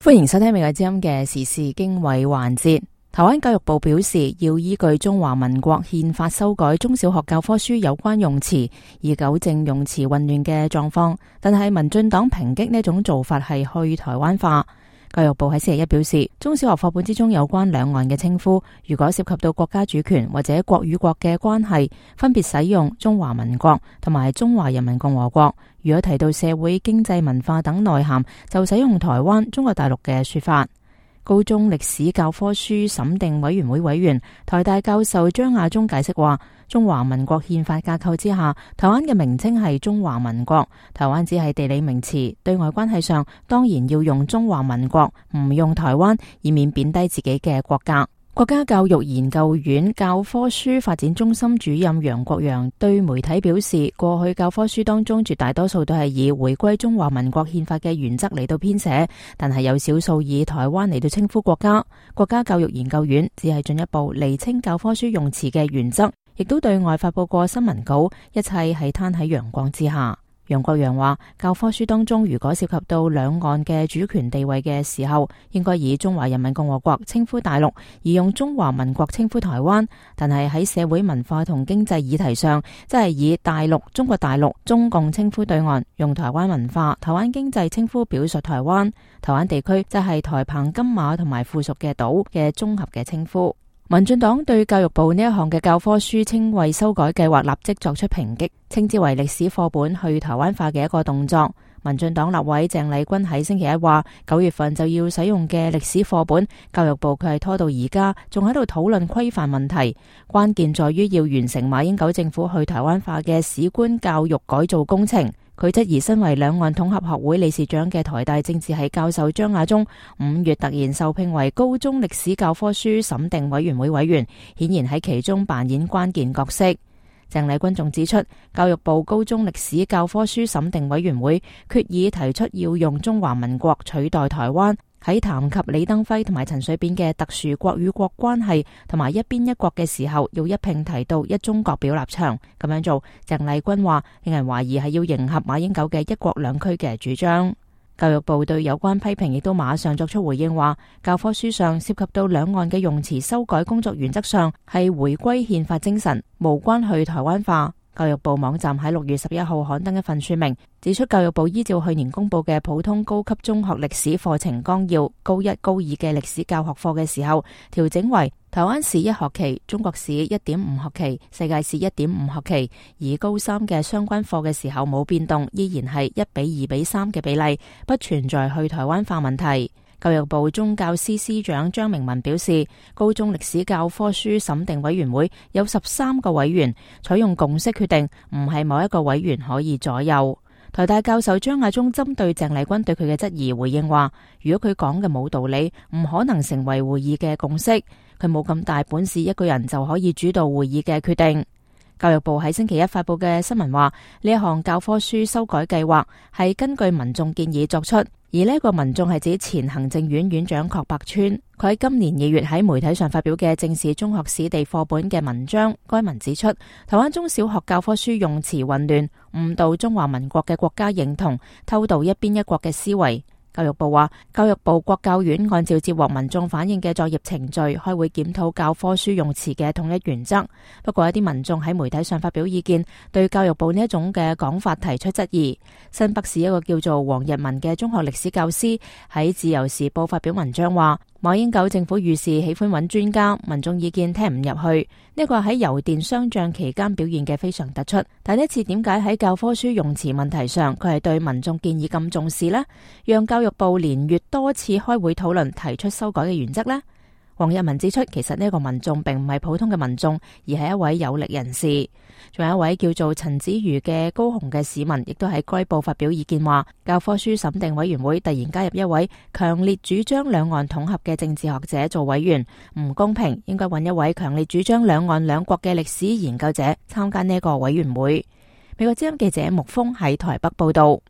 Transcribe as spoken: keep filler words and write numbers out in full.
歡迎收聽美國之音嘅時事經緯環節。台灣教育部表示，要依據中華民國憲法修改中小學教科書有關用詞，以糾正用詞混亂嘅狀況。但係民進黨抨擊呢種做法係去台灣化。教育部喺星期一表示，中小學課本之中有關兩岸嘅稱呼，如果涉及到國家主權或者國與國嘅關係，分別使用中華民國同埋中華人民共和國；如果提到社會、經濟、文化等內涵，就使用台灣、中國大陸嘅說法。高中歷史教科書審定委員會委員、台大教授張亞中解釋話，中華民國憲法架構之下，台灣嘅名稱係中華民國，台灣只係地理名詞，對外關係上當然要用中華民國，唔用台灣，以免貶低自己嘅國格。國家教育研究院教科書發展中心主任楊國陽對媒體表示，過去教科書當中絕大多數都係以回歸中華民國憲法嘅原則嚟到編寫，但係有少數以台灣嚟到稱呼國家。國家教育研究院只係進一步釐清教科書用詞嘅原則，亦都對外發佈過新聞稿，一切係攤喺陽光之下。楊國陽話，教科書當中如果涉及到兩岸嘅主權地位嘅時候，應該以中華人民共和國稱呼大陸，而用中華民國稱呼台灣。但係喺社會文化同經濟議題上，即係以大陸、中國大陸、中共稱呼對岸，用台灣文化、台灣經濟稱呼表述台灣。台灣地區即係台澎金馬同埋附屬嘅島嘅綜合嘅稱呼。民進黨對教育部呢一項嘅教科書稱謂修改計劃立即作出抨擊，稱之為歷史課本去台灣化嘅一個動作。民進黨立委鄭麗君喺星期一話，九月份就要使用嘅歷史課本，教育部佢係拖到而家，仲喺度討論規範問題。關鍵在於要完成馬英九政府去台灣化嘅史觀教育改造工程。佢質疑身為兩岸統合學會理事長嘅台大政治系教授張亞中五月突然受聘為高中歷史教科書審定委員會委員，顯然喺其中扮演關鍵角色。鄭麗君仲指出，教育部高中歷史教科書審定委員會決議提出要用中華民國取代台灣，喺談及李登輝同埋陳水扁嘅特殊國與國關係同埋一邊一國嘅時候，要一併提到一中各表立場。咁樣做，鄭麗君話令人懷疑係要迎合馬英九嘅一國兩區嘅主張。教育部對有關批評亦都馬上作出回應，話教科書上涉及到兩岸嘅用詞修改工作，原則上係回歸憲法精神，無關去台灣化。教育部網站喺六月十一號刊登一份說明，指出教育部依照去年公布嘅普通高級中學歷史課程綱要，高一高二嘅歷史教學課嘅時候，調整為台灣史一學期、中國史一點五學期、世界史一點五學期，而高三嘅相關課嘅時候冇變動，依然係一比二比三嘅比例，不存在去台灣化問題。教育部宗教司司長張明文表示，高中歷史教科書審定委員會有十三個委員，採用共識決定，唔係某一個委員可以左右。台大教授張亞中針對鄭麗君對佢嘅質疑回應話，如果佢講嘅冇道理，唔可能成為會議嘅共識，佢冇咁大本事一個人就可以主導會議嘅決定。教育部喺星期一發佈嘅新聞話，呢一項教科書修改計劃係根據民眾建議作出，而呢一個民眾係指前行政院院長郝柏村。佢喺今年二月喺媒體上發表嘅正視中學史地課本嘅文章，該文指出，台灣中小學教科書用詞混亂，誤導中華民國嘅國家認同，偷渡一邊一國嘅思維。教育部話，教育部國教院按照接獲民眾反映嘅作業程序，開會檢討教科書用詞嘅統一原則。不過一啲民眾喺媒體上發表意見，對教育部呢一種嘅講法提出質疑。新北市一個叫做黃日文嘅中學歷史教師喺自由時報發表文章話，馬英九政府遇事喜歡揾專家，民眾意見聽唔入去。呢個喺油電雙漲期間表現嘅非常突出。但呢次點解喺教科書用詞問題上，佢係對民眾建議咁重視呢？讓教育部連月多次開會討論提出修改嘅原則呢？黃日文指出，其實呢個民眾並唔係普通嘅民眾，而係一位有力人士。仲有一位叫做陳子瑜嘅高雄嘅市民，亦都喺該報發表意見話，教科書審定委員會突然加入一位強烈主張兩岸統合嘅政治學者做委員，唔公平，應該揾一位強烈主張兩岸兩國嘅歷史研究者參加呢個委員會。美國之音記者木峰喺台北報道。